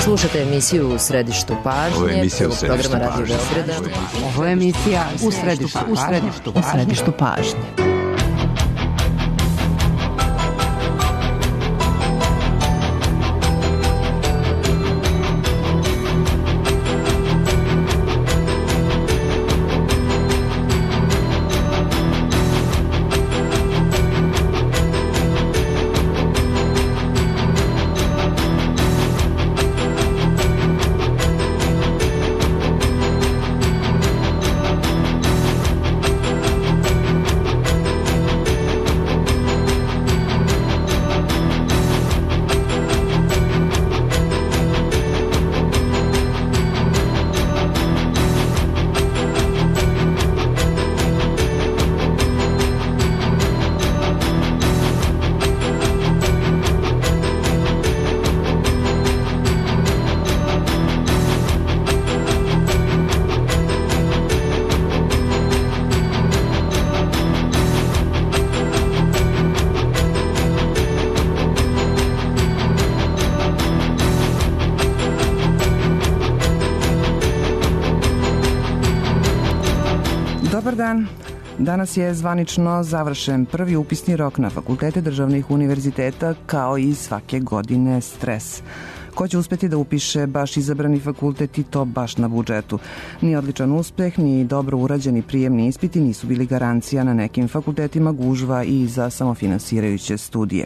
Slušate emisiju U središtu pažnje, programa Radio Beograda. Ovo je emisija U središtu pažnje. Dobar dan. Danas je zvanično završen prvi upisni rok na fakultete državnih univerziteta, kao i svake godine stres. Ko će uspeti da upiše baš izabrani fakultet i to baš na budžetu? Ni odličan uspeh, ni dobro urađeni prijemni ispiti nisu bili garancija, na nekim fakultetima gužva i za samofinansirajuće studije.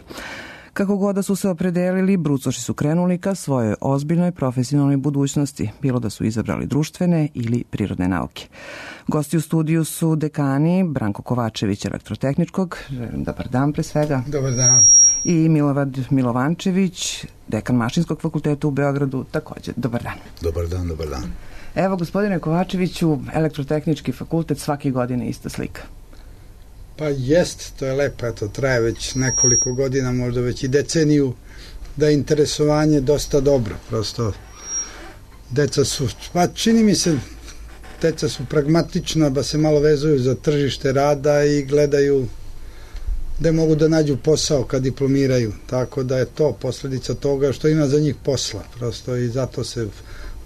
Kako god da su se opredelili, brucoši su krenuli ka svojoj ozbiljnoj profesionalnoj budućnosti, bilo da su izabrali društvene ili prirodne nauke. Gosti u studiju su dekani Branko Kovačević, elektrotehničkog, dobar dan pre svega. Dobar dan. I Milorad Milovančević, dekan Mašinskog fakulteta u Beogradu, također. Dobar dan. Dobar dan, dobar dan. Evo, gospodine Kovačeviću, elektrotehnički fakultet svake godine ista slika. Pa jest, to je lepo, eto, traje već nekoliko godina, možda već i deceniju, da je interesovanje dosta dobro, prosto deca su, pa čini mi se, deca su pragmatična, ba se malo vezuju za tržište rada i gledaju da mogu da nađu posao kad diplomiraju, tako da je to posljedica toga što ima za njih posla, prosto i zato se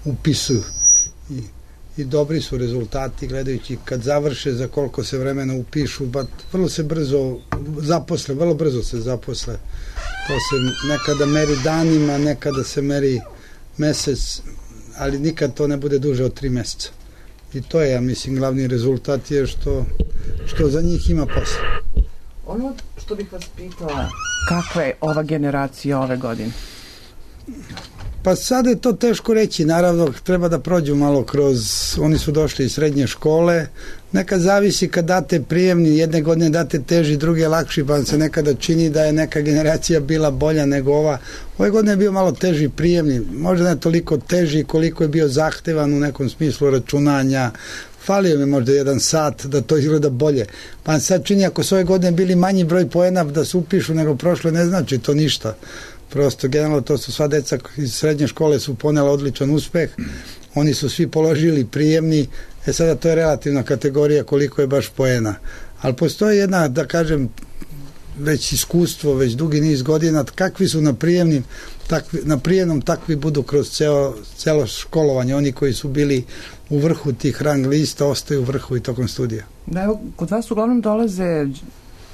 upisuju i dobri su rezultati gledajući kad završe za koliko se vremena upišu, vrlo se brzo zaposle, vrlo brzo se zaposle. To se nekada meri danima, nekada se meri mesec, ali nikad to ne bude duže od 3 meseca. I to je, ja mislim, glavni rezultat je što za njih ima posla. Ono što bih vas pitala, kakva je ova generacija ove godine? Pa sad je to teško reći, naravno treba da prođu malo kroz, oni su došli iz srednje škole, nekad zavisi kad date prijemni, jedne godine date teži, druge lakši, pa se nekada čini da je neka generacija bila bolja nego ova. Ove godine je bio malo teži prijemni, možda ne toliko teži koliko je bio zahtevan u nekom smislu računanja, falio mi možda 1 sat da to izgleda bolje. Pa sad čini ako su ove godine bili manji broj poena da se upišu nego prošle, ne znači to ništa. Prosto, generalno, to su sva deca iz srednje škole su ponela odličan uspeh, oni su svi položili prijemni, sada to je relativna kategorija koliko je baš poena. Ali postoji jedna, da kažem, već iskustvo, već dugi niz godina, kakvi su na prijemnom, takvi budu kroz celo školovanje. Oni koji su bili u vrhu tih rang lista, ostaju u vrhu i tokom studija. Da, evo, kod vas uglavnom dolaze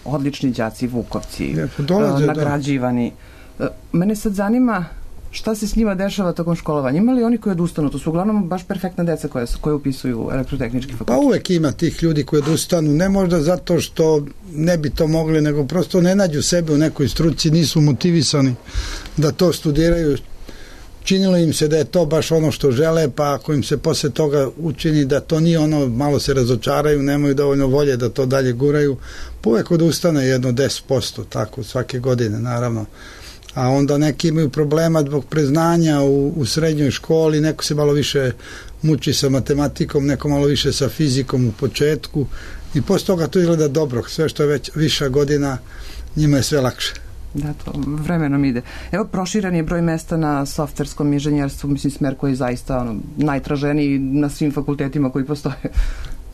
odlični đaci, vukovci, nagrađivani. Mene sad zanima šta se s njima dešava tokom školovanja. Ima li oni koji odustanu? To su uglavnom baš perfektna deca koje upisuju elektrotehnički fakultet. Pa uvek ima tih ljudi koji odustanu. Ne možda zato što ne bi to mogli, nego prosto ne nađu sebe u nekoj struci, nisu motivisani da to studiraju. Činilo im se da je to baš ono što žele, pa ako im se posle toga učini da to nije ono, malo se razočaraju, nemaju dovoljno volje da to dalje guraju, pa uvek odustane jedno 10%, tako svake godine, naravno. A onda neki imaju problema zbog preznanja u srednjoj školi, neko se malo više muči sa matematikom, neko malo više sa fizikom u početku i posle toga to izgleda dobro, sve što je već viša godina, njima je sve lakše. Da, to vremenom ide. Evo, proširen je broj mesta na softverskom inženjerstvu, mislim, smer koji je zaista najtraženiji na svim fakultetima koji postoje.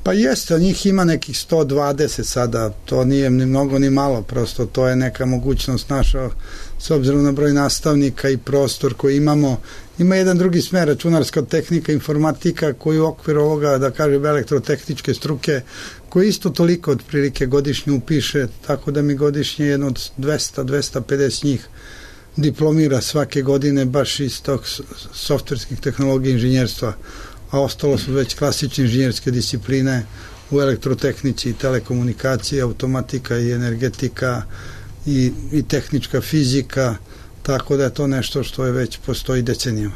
Pa jeste, njih ima nekih 120 sada, to nije ni mnogo ni malo, prosto to je neka mogućnost naša, s obzirom na broj nastavnika i prostor koji imamo. Ima jedan drugi smer, računarska tehnika, informatika, koji u okviru ovoga, da kažem, elektrotehničke struke, koji isto toliko otprilike godišnje upiše, tako da mi godišnje jedno od 200-250 njih diplomira svake godine baš iz tog softverskih tehnologija inženjerstva, a ostalo su već klasične inženjerske discipline u elektrotehnici, telekomunikacije, automatika i energetika i tehnička fizika, tako da je to nešto što je već postoji decenijama.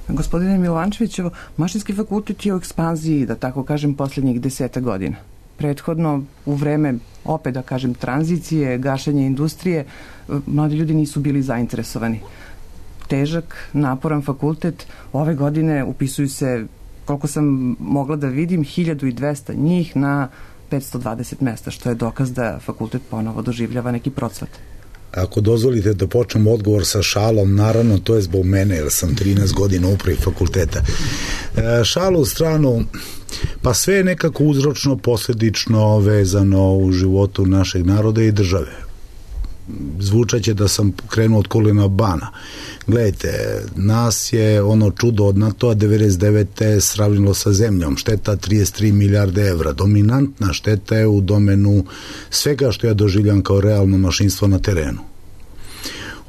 Gospodine Milovančeviću, Mašinski fakultet je u ekspanziji, da tako kažem, posljednjih 10 godina. Prethodno, u vreme, opet da kažem, tranzicije, gašenja industrije, mladi ljudi nisu bili zainteresovani. Težak, naporan fakultet, ove godine upisuju se, koliko sam mogla da vidim, 1200 njih na 520 mesta, što je dokaz da fakultet ponovo doživljava neki procvat. Ako dozvolite da počnem odgovor sa šalom, naravno to je zbog mene, jer sam 13 godina u upravi fakulteta. Šalu u stranu, pa sve je nekako uzročno, posledično vezano u životu našeg naroda i države. Zvučaće da sam krenuo od kolena bana. Gledajte, nas je ono čudo od NATO-a 99. sravnilo sa zemljom, šteta 33 milijarde evra. Dominantna šteta je u domenu svega što ja doživljam kao realno mašinstvo na terenu.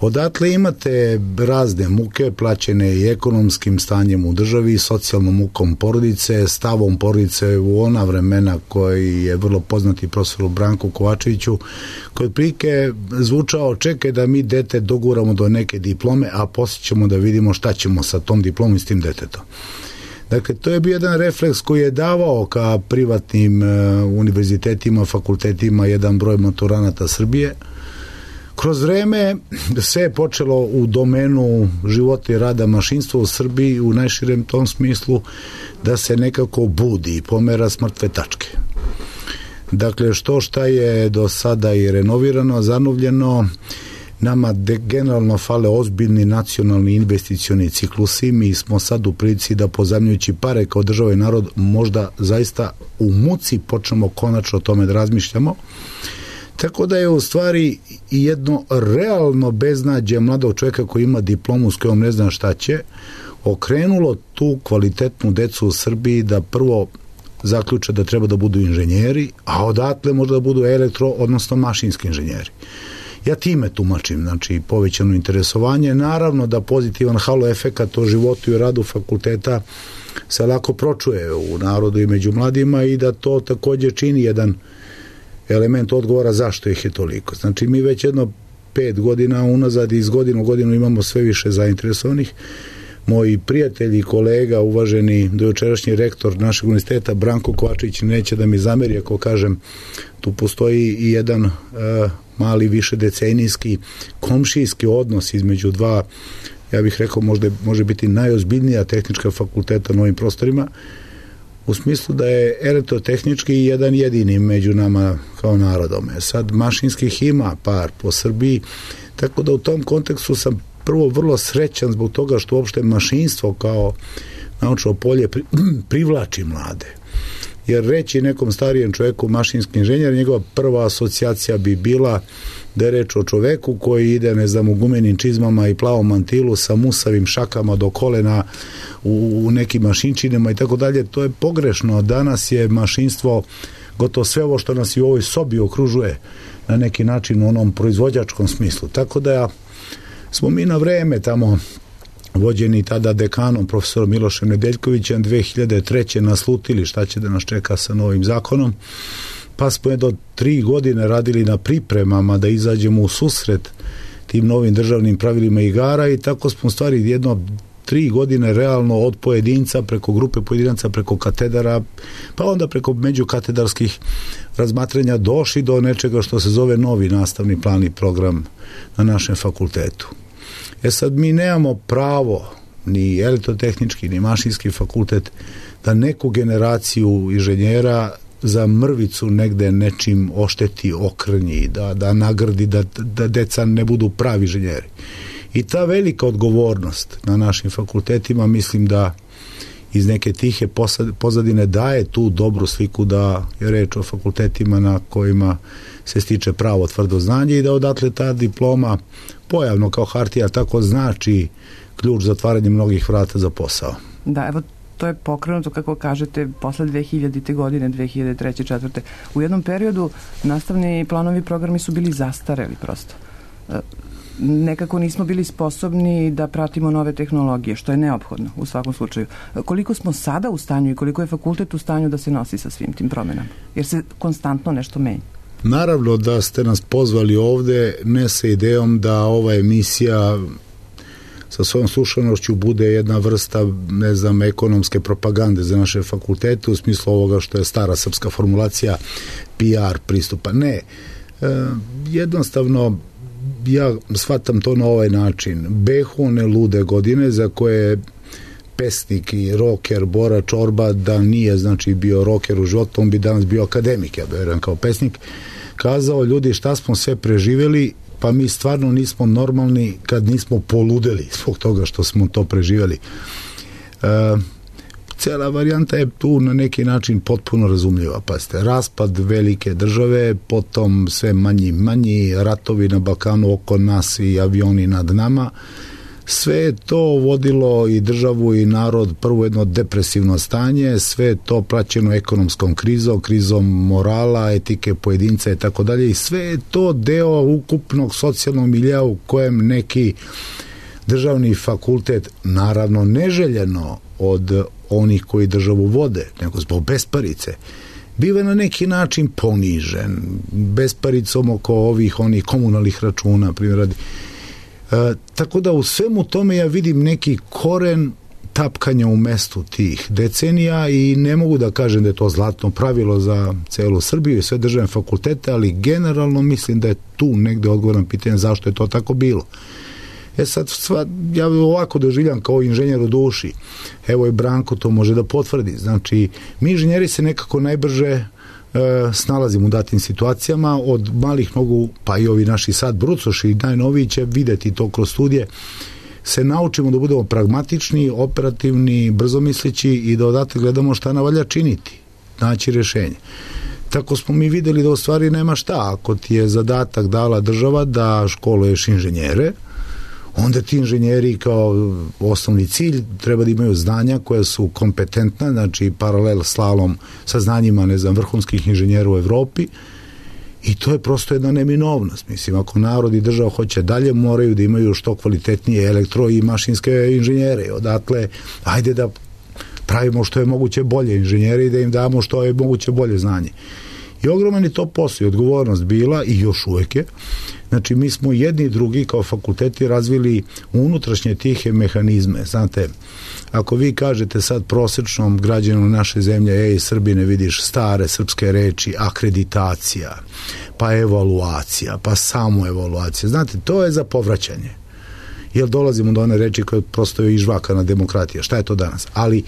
Odatle imate razne muke plaćene i ekonomskim stanjem u državi, socijalnom mukom porodice, stavom porodice u ona vremena koji je vrlo poznati profesoru Branku Kovačeviću, koji otprilike zvučao: čekaj da mi dete doguramo do neke diplome, a poslije ćemo da vidimo šta ćemo sa tom diplomom i s tim detetom. Dakle, to je bio jedan refleks koji je davao ka privatnim univerzitetima, fakultetima jedan broj maturanata Srbije. Kroz vreme sve je počelo u domenu života i rada mašinstva u Srbiji u najširem tom smislu da se nekako budi i pomera s mrtve tačke. Dakle, šta je do sada i renovirano, zanovljeno, nama generalno fale ozbiljni nacionalni investicioni ciklusi. Mi smo sad u prilici da pozajmljujući pare kao država i narod možda zaista u muci počnemo konačno o tome da razmišljamo. Tako da je u stvari jedno realno beznađe mladog čovjeka koji ima diplomu s kojom ne zna šta će, okrenulo tu kvalitetnu decu u Srbiji da prvo zaključe da treba da budu inženjeri, a odatle možda da budu odnosno mašinski inženjeri. Ja time tumačim, znači povećano interesovanje, naravno da pozitivan halo efekat o životu i radu fakulteta se lako pročuje u narodu i među mladima i da to također čini jedan element odgovora zašto ih je toliko. Znači mi već jedno 5 godina unazad iz godine u godinu imamo sve više zainteresovanih. Moji prijatelji i kolega, uvaženi dojučerašnji rektor našeg univerziteta Branko Kovačević neće da mi zameri ako kažem, tu postoji i jedan mali višedecenijski komšijski odnos između dva, ja bih rekao može biti najozbiljnija tehnička fakulteta na ovim prostorima, u smislu da je elektrotehnički jedan jedini među nama kao narodom. Sad mašinskih ima par po Srbiji, tako da u tom kontekstu sam prvo vrlo srećan zbog toga što uopšte mašinstvo kao naučno polje privlači mlade. Jer reći nekom starijem čovjeku mašinski inženjer, njegova prva asocijacija bi bila da je reč o čoveku koji ide, ne znam, u gumenim čizmama i plavom mantilu sa musavim šakama do kolena u nekim mašinčinama i tako dalje. To je pogrešno. Danas je mašinstvo gotovo sve ovo što nas i u ovoj sobi okružuje na neki način u onom proizvođačkom smislu. Tako da smo mi na vreme tamo vođeni tada dekanom profesorom Milošem Nedeljkovićem 2003. naslutili šta će da nas čeka sa novim zakonom, pa smo do 3 godine radili na pripremama da izađemo u susret tim novim državnim pravilima igara i tako smo u stvari jedno 3 godine realno od pojedinca preko grupe pojedinaca, preko katedara, pa onda preko međukatedarskih razmatranja došli do nečega što se zove novi nastavni plan i program na našem fakultetu. Sad mi nemamo pravo, ni elektrotehnički, ni mašinski fakultet, da neku generaciju inženjera za mrvicu negde nečim ošteti, okrnji, da nagradi, da deca ne budu pravi inženjeri. I ta velika odgovornost na našim fakultetima mislim da iz neke tihe pozadine daje tu dobru sliku da je reč o fakultetima na kojima se stiče pravo tvrdo znanje i da odatle ta diploma pojavno kao hartija tako znači ključ za otvaranje mnogih vrata za posao. Da, evo to je pokrenuto, kako kažete, posle 2000. godine, 2003. 2004. U jednom periodu nastavni planovi programi su bili zastareli prosto. Nekako nismo bili sposobni da pratimo nove tehnologije, što je neophodno u svakom slučaju. Koliko smo sada u stanju i koliko je fakultet u stanju da se nosi sa svim tim promenama? Jer se konstantno nešto menja. Naravno da ste nas pozvali ovde ne sa idejom da ova emisija sa svojom slušanošću bude jedna vrsta, ne znam, ekonomske propagande za naše fakultete u smislu ovoga što je stara srpska formulacija PR pristupa. Ne, jednostavno ja shvatam to na ovaj način. Behu one lude godine za koje pesnik i roker Bora Čorba, da nije znači bio roker u životu, on bi danas bio akademik, ja verujem kao pesnik, kazao, ljudi, šta smo sve preživeli, pa mi stvarno nismo normalni kad nismo poludeli zbog toga što smo to preživeli. Cela varijanta je tu na neki način potpuno razumljiva. Pazite, raspad velike države, potom sve manji ratovi na Balkanu oko nas i avioni nad nama. Sve je to vodilo i državu i narod prvo jedno depresivno stanje, sve je to praćeno ekonomskom krizom morala, etike pojedinca i tako dalje i sve je to deo ukupnog socijalnog milija u kojem neki državni fakultet, naravno neželjeno od onih koji državu vode, nego zbog besparice, biva na neki način ponižen, besparicom oko onih komunalnih računa, primjer radi. Tako da u svemu tome ja vidim neki koren tapkanja u mestu tih decenija i ne mogu da kažem da je to zlatno pravilo za celu Srbiju i sve državne fakultete, ali generalno mislim da je tu negde odgovor na pitanje zašto je to tako bilo. Sad, ja ovako doživljam kao inženjer u duši. Evo i Branko to može da potvrdi. Znači, mi inženjeri se nekako najbrže snalazimo u datim situacijama, od malih nogu, pa i ovi naši sad brucoši, najnoviji će videti to kroz studije, se naučimo da budemo pragmatični, operativni, brzomisleći i da odatle gledamo šta navalja činiti, naći rešenje. Tako smo mi videli da u stvari nema šta. Ako ti je zadatak dala država da školuješ inženjere, onda ti inženjeri kao osnovni cilj treba da imaju znanja koja su kompetentna, znači paralel slalom sa znanjima, ne znam, vrhunskih inženjera u Evropi i to je prosto jedna neminovnost. Mislim, ako narod i država hoće dalje, moraju da imaju što kvalitetnije elektro i mašinske inženjere. Odatle, ajde da pravimo što je moguće bolje inženjere i da im damo što je moguće bolje znanje. I ogroman je to posao i odgovornost bila i još uvek je. Znači, mi smo jedni i drugi kao fakulteti razvili unutrašnje tihe mehanizme. Znate, ako vi kažete sad prosečnom građanu naše zemlje, Srbine, vidiš stare srpske reči, akreditacija, pa evaluacija, pa samoevaluacija. Znate, to je za povraćanje. Jer dolazimo do one reči koje prosto je izžvakana demokratija. Šta je to danas? Ali,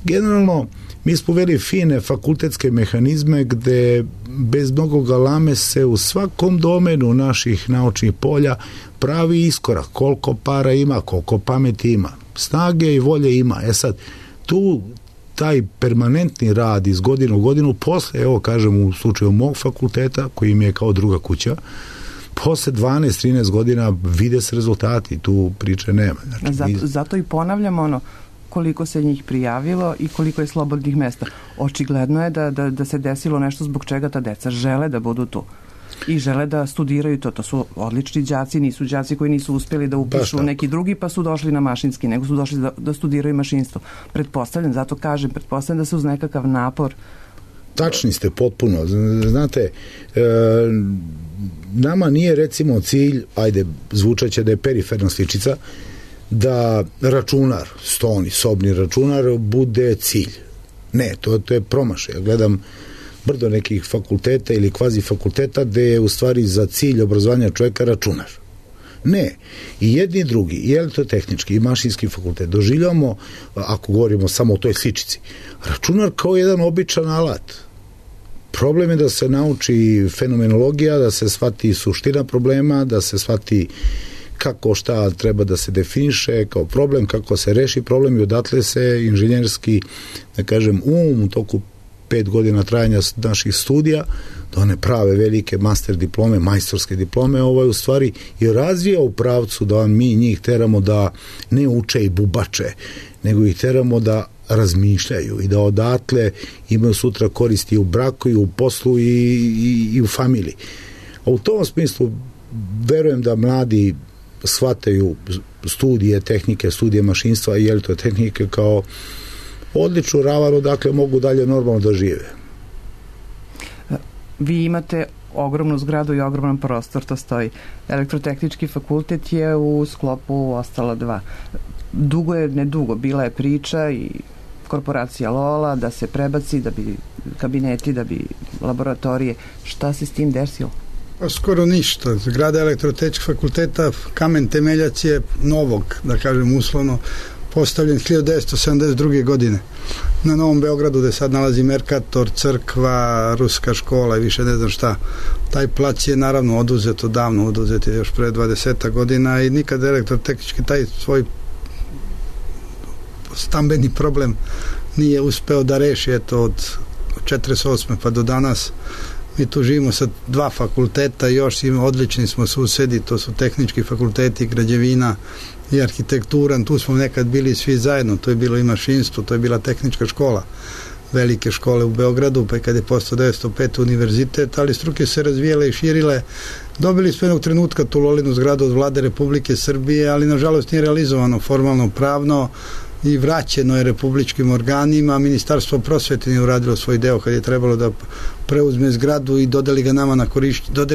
generalno, mi smo uveli fine fakultetske mehanizme gde bez mnogo galame se u svakom domenu naših naučnih polja pravi iskorak. Koliko para ima, koliko pameti ima. Snage i volje ima. Sad, tu taj permanentni rad iz godine u godinu, posle, evo kažem u slučaju mog fakulteta, koji mi je kao druga kuća, posle 12-13 godina vide se rezultati, tu priče nema. Znači, zato i ponavljamo koliko se njih prijavilo i koliko je slobodnih mesta. Očigledno je da se desilo nešto zbog čega ta deca žele da budu tu i žele da studiraju to. To su odlični đaci, nisu đaci koji nisu uspjeli da upišu neki drugi pa su došli na mašinski, nego su došli da studiraju mašinstvo. Pretpostavljam da se uz nekakav napor. Tačni ste potpuno. Znate, nama nije recimo cilj, ajde, zvučaće da je periferna sličica, da računar, stoni, sobni računar bude cilj. Ne, to je promašaj. Ja gledam brdo nekih fakulteta ili kvazi fakulteta gde je u stvari za cilj obrazovanja čovjeka računar. Ne. I jedni i drugi, i elektrotehnički i mašinski fakultet doživljamo, ako govorimo samo o toj sličici, računar kao jedan običan alat. Problem je da se nauči fenomenologija, da se shvati suština problema, da se shvati kako šta treba da se definiše kao problem, kako se reši problem i odatle se inženjerski, da kažem, u toku 5 godina trajanja naših studija, da one prave velike master diplome, majstorske diplome, u stvari i razvija u pravcu da mi njih teramo da ne uče i bubače, nego ih teramo da razmišljaju i da odatle imaju sutra koristi i u braku i u poslu i u familiji. A u tom smislu verujem da mladi shvataju studije tehnike, studije mašinstva i elektrotehnike kao odličnu ravanu, dakle mogu dalje normalno da žive. Vi imate ogromnu zgradu i ogroman prostor, to stoji. Elektrotehnički fakultet je u sklopu ostala 2. Dugo je, nedugo, bila je priča i korporacija Lola da se prebaci, da bi kabineti, da bi laboratorije. Šta se s tim desilo? Pa skoro ništa. Zgrada elektrotehničkog fakulteta, kamen temeljac je novog, da kažem uslovno, postavljen 1972. godine na Novom Beogradu, gde sad nalazi Merkator, crkva, ruska škola i više ne znam šta. Taj plac je naravno oduzet je još pre 20 godina i nikad elektrotehnički taj svoj stambeni problem nije uspeo da reši, eto od 48. pa do danas. Mi tu živimo sa 2 fakulteta, još odlični smo susedi, to su tehnički fakulteti, građevina i arhitektura, tu smo nekad bili svi zajedno, to je bilo i mašinstvo, to je bila tehnička škola, velike škole u Beogradu, pa i kad je postao 1905 univerzitet, ali struke se razvijele i širile. Dobili smo jednog trenutka tu Lolinu zgradu od vlade Republike Srbije, ali nažalost nije realizovano formalno pravno i vraćeno je republičkim organima. Ministarstvo prosvete nije uradilo svoj deo kad je trebalo da preuzme zgradu i dodeli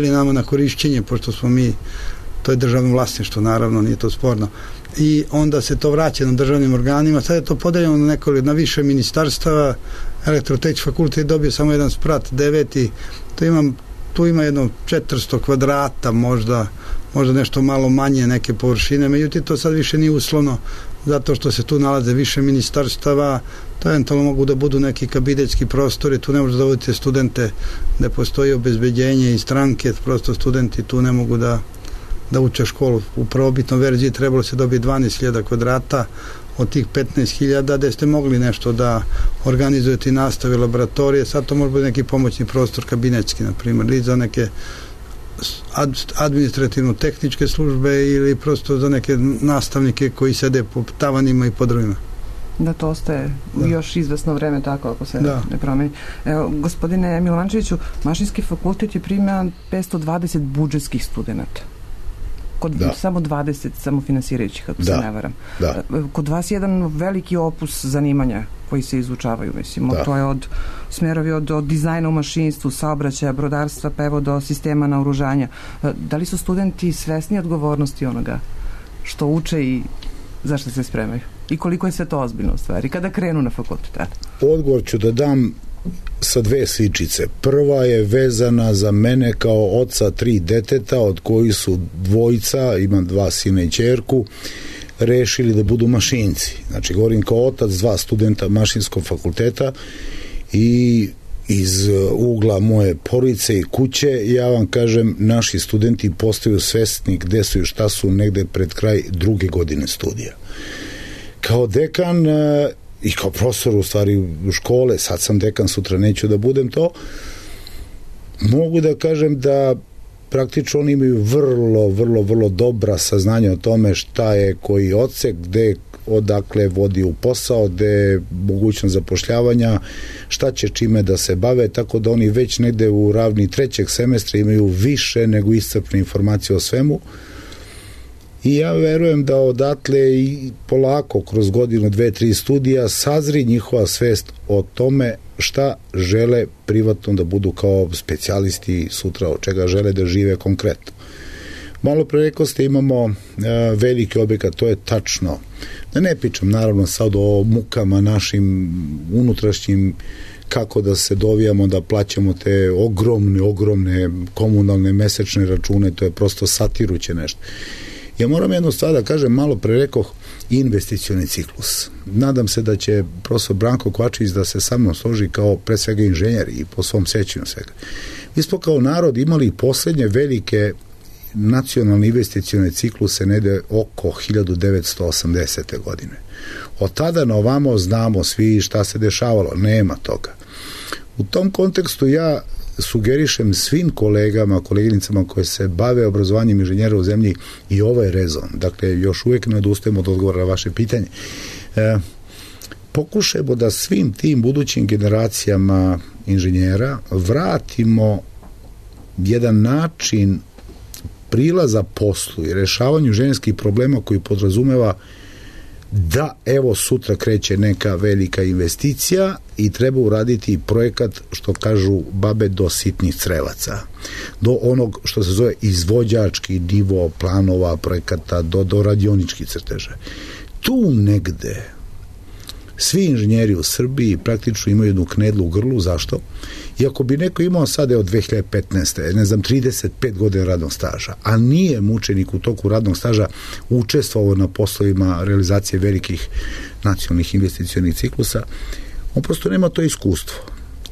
nama na korišćenje, pošto smo mi, to je državno vlasništvo, naravno, nije to sporno. I onda se to vraća na državnim organima. Sad je to podeljeno na više ministarstava. Elektrotehnički fakultet je dobio samo jedan sprat, 9. Tu ima jedno 400 kvadrata, možda nešto malo manje neke površine, međutim to sad više nije uslovno, zato što se tu nalaze više ministarstava, to eventualno mogu da budu neki kabinetski prostori, tu ne možete da vodite studente, gde postoji obezbeđenje i stranke, prosto studenti tu ne mogu da uče školu. U prvobitnoj verziji trebalo se dobiti 12.000 kvadrata, od tih 15.000 gde ste mogli nešto da organizujete i nastave laboratorije, sad to može biti neki pomoćni prostor kabinetski, na primjer, ili za neke administrativno-tehničke službe ili prosto za neke nastavnike koji sede po tavanima i podrovima. Da to ostaje još izvesno vreme tako ako se ne promeni. Evo, gospodine Milovančeviću, Mašinski fakultet je primio 520 budžetskih studenta. Samo 20 samofinansirajućih, ako se ne varam. Kod vas je jedan veliki opus zanimanja koji se izučavaju, mislim. To je smerovi od dizajna u mašinstvu, saobraćaja, brodarstva, pa evo do sistema naoružanja. Da li su studenti svesni odgovornosti onoga što uče i zašto se spremaju? I koliko je sve to ozbiljno u stvari? Kada krenu na fakultet? Odgovor ću da dam sa 2 sličice. Prva je vezana za mene kao oca 3 deteta, od kojih su 2, imam 2 sina i ćerku, rešili da budu mašinci. Znači, govorim kao otac 2 studenta Mašinskog fakulteta i iz ugla moje porodice i kuće, ja vam kažem, naši studenti postaju svesni gde su i šta su negde pred kraj 2. godine studija. Kao dekan i kao profesor u stvari u škole, sad sam dekan, sutra neću da budem to, mogu da kažem da praktično oni imaju vrlo dobra saznanja o tome šta je koji odsek, gde odakle vodi u posao, gde je mogućnost zapošljavanja, šta će čime da se bave, tako da oni već negde u ravni 3. semestra imaju više nego iscrpne informacije o svemu. I ja verujem da odatle i polako kroz godinu, 2, 3 studija sazri njihova svest o tome šta žele privatno da budu kao specijalisti sutra, od čega žele da žive konkretno. Malo pre rekao ste, imamo veliki objekat, to je tačno. Da ne pričam naravno sad o mukama našim unutrašnjim, kako da se dovijamo da plaćamo te ogromne komunalne mesečne račune, to je prosto satiruće nešto. Ja moram jednu stvar da kažem, malo pre rekoh, investicioni ciklus. Nadam se da će profesor Branko Kovačević da se sa mnom složi kao pre svega inženjer i po svom sećanju svega. Mi smo kao narod imali poslednje velike nacionalne investicione cikluse negde oko 1980. godine. Od tada na ovamo znamo svi šta se dešavalo, nema toga. U tom kontekstu ja sugerišem svim kolegama, koleginicama koje se bave obrazovanjem inženjera u zemlji i ovaj rezon. Dakle, još uvijek ne odustajemo od odgovora na vaše pitanje. Pokušajmo da svim tim budućim generacijama inženjera vratimo jedan način prilaza poslu i rešavanju inženjerskih problema koji podrazumeva da evo sutra kreće neka velika investicija i treba uraditi projekat, što kažu babe, do sitnih crevaca, do onog što se zove izvođački nivo planova projekata, do radioničkih crteža. Tu negde svi inženjeri u Srbiji praktično imaju jednu knedlu u grlu. Zašto? Iako bi neko imao sada od 2015. 35 godina radnog staža, a nije mučenik u toku radnog staža učestvovao na poslovima realizacije velikih nacionalnih investicionih ciklusa, on prosto nema to iskustvo.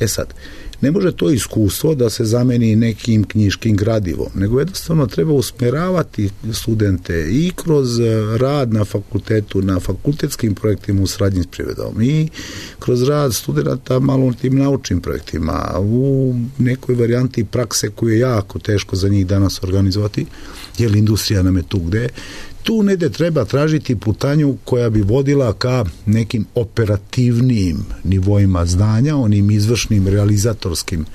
Sad, ne može to iskustvo da se zameni nekim knjiškim gradivom, nego jednostavno treba usmeravati studente i kroz rad na fakultetu, na fakultetskim projektima u saradnji s privredom i kroz rad studenta malo u tim naučnim projektima, u nekoj varijanti prakse koju je jako teško za njih danas organizovati, jer industrija nam je tu gde. Tu negde treba tražiti putanju koja bi vodila ka nekim operativnijim nivoima znanja, onim izvršnim realizatorskim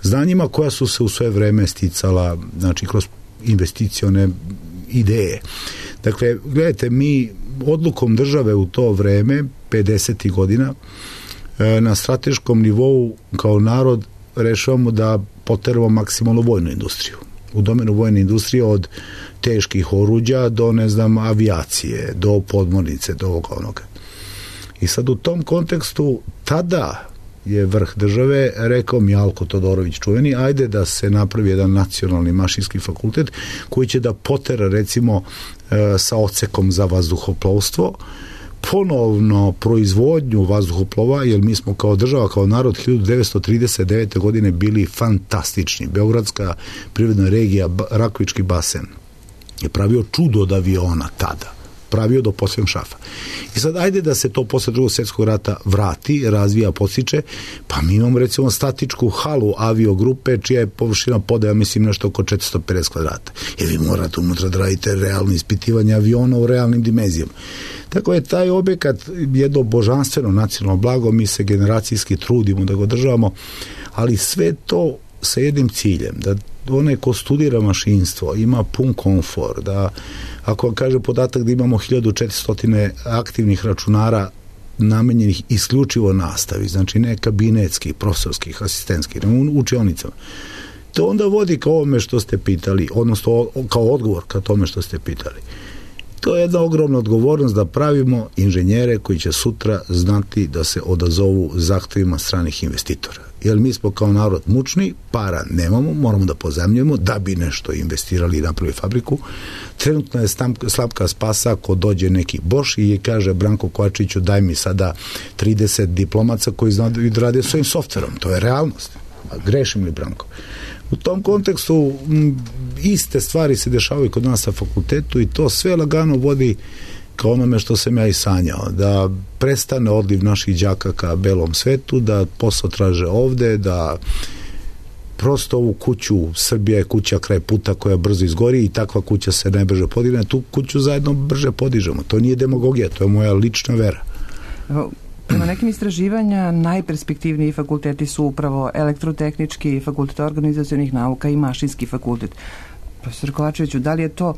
znanjima koja su se u sve vreme sticala, znači kroz investicione ideje. Dakle, gledajte, mi odlukom države u to vreme, 50. godina, na strateškom nivou kao narod rešavamo da poteramo maksimalno vojnu industriju. U domenu vojne industrije od teških oruđa do, avijacije, do podmornice, do ovoga onoga. I sad u tom kontekstu tada je vrh države rekao Mjalko Todorović čuveni, ajde da se napravi jedan nacionalni mašinski fakultet koji će da potera recimo sa odsekom za vazduhoplovstvo ponovno proizvodnju vazduhoplova, jer mi smo kao država, kao narod 1939. godine bili fantastični. Beogradska privredna regija, Rakovički basen je pravio čudo od aviona tada. Pravio do posljednog šafa. I sad ajde da se to posle Drugog svjetskog rata vrati, razvija, podstiče, pa mi imamo recimo statičku halu aviogrupe čija je površina podaja, mislim, nešto oko 450 kvadrata. Jer vi morate unutra da radite realno ispitivanje aviona u realnim dimenzijama. Tako je taj objekat jedno božanstveno nacionalno blago, mi se generacijski trudimo da ga održavamo, ali sve to sa jednim ciljem, da onaj ko studira mašinstvo ima pun komfor, da ako vam kaže podatak da imamo 1400 aktivnih računara namenjenih isključivo nastavi, znači ne kabinetskih, profesorskih, asistentskih, u učionicama, to onda vodi ka ovome što ste pitali, odnosno kao odgovor ka tome što ste pitali. To je jedna ogromna odgovornost da pravimo inženjere koji će sutra znati da se odazovu zahtevima stranih investitora. Jer mi smo kao narod mučni, para nemamo, moramo da pozajmljujemo da bi nešto investirali i napravili fabriku. Trenutno je slabka spasa ako dođe neki Boš i kaže Branko Kovačiću daj mi sada 30 diplomaca koji znaju da rade svojim softverom. To je realnost. Grešim li, Branko? U tom kontekstu iste stvari se dešavaju kod nas na fakultetu i to sve lagano vodi ka onome što sam ja i sanjao, da prestane odliv naših đaka ka belom svetu, da posao traže ovde, da prosto ovu kuću, Srbija je kuća kraj puta koja brzo izgori i takva kuća se najbrže podigne, tu kuću zajedno brže podižemo. To nije demagogija, to je moja lična vera. Prema nekim istraživanja najperspektivniji fakulteti su upravo elektrotehnički, fakultet organizacionih nauka i mašinski fakultet. Profesor Kovačeviću, da li je to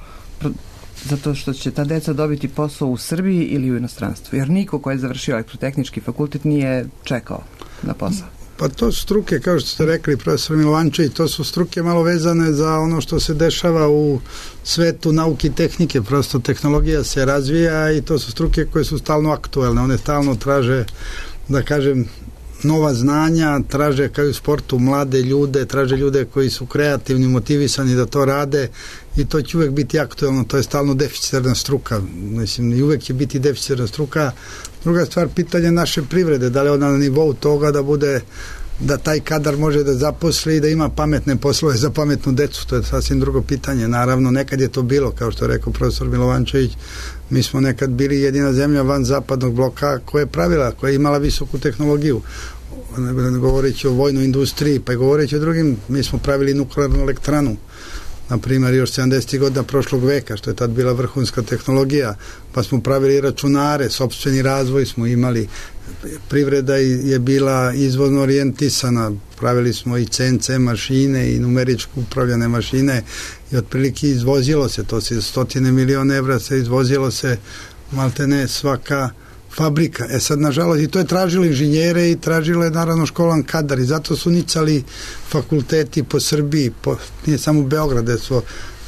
zato što će ta deca dobiti posao u Srbiji ili u inostranstvu? Jer niko ko je završio elektrotehnički fakultet nije čekao na posao. Pa to su struke, kao što ste rekli, profesor Milovančević, to su struke malo vezane za ono što se dešava u svetu nauke i tehnike. Prosto tehnologija se razvija i to su struke koje su stalno aktuelne. One stalno traže, da kažem, nova znanja, traže kao u sportu mlade ljude, traže ljude koji su kreativni, motivisani da to rade i to će uvek biti aktuelno, to je stalno deficitarna struka. Mislim, i uvek će biti deficitarna struka. Druga stvar, pitanje naše privrede, da li ona na nivou toga da bude da taj kadar može da zaposli i da ima pametne poslove za pametnu decu. To je sasvim drugo pitanje. Naravno, nekad je to bilo, kao što je rekao profesor Milovančević, mi smo nekad bili jedina zemlja van zapadnog bloka koja je pravila, koja je imala visoku tehnologiju. Govoreći o vojnoj industriji, pa i govoreći o drugim, mi smo pravili nuklearnu elektranu, na primjer još 70. godina prošlog veka, što je tad bila vrhunska tehnologija, pa smo pravili računare, sopstveni razvoj smo imali, privreda je bila izvozno orijentisana, pravili smo i CNC mašine i numeričko upravljane mašine i otprilike izvozilo se, to se 100 miliona evra se izvozilo se maltene svaka fabrika. Sad, nažalost, i to je tražilo inženjere i tražilo je naravno školan kadar i zato su nicali fakulteti po Srbiji, nije samo Beograd,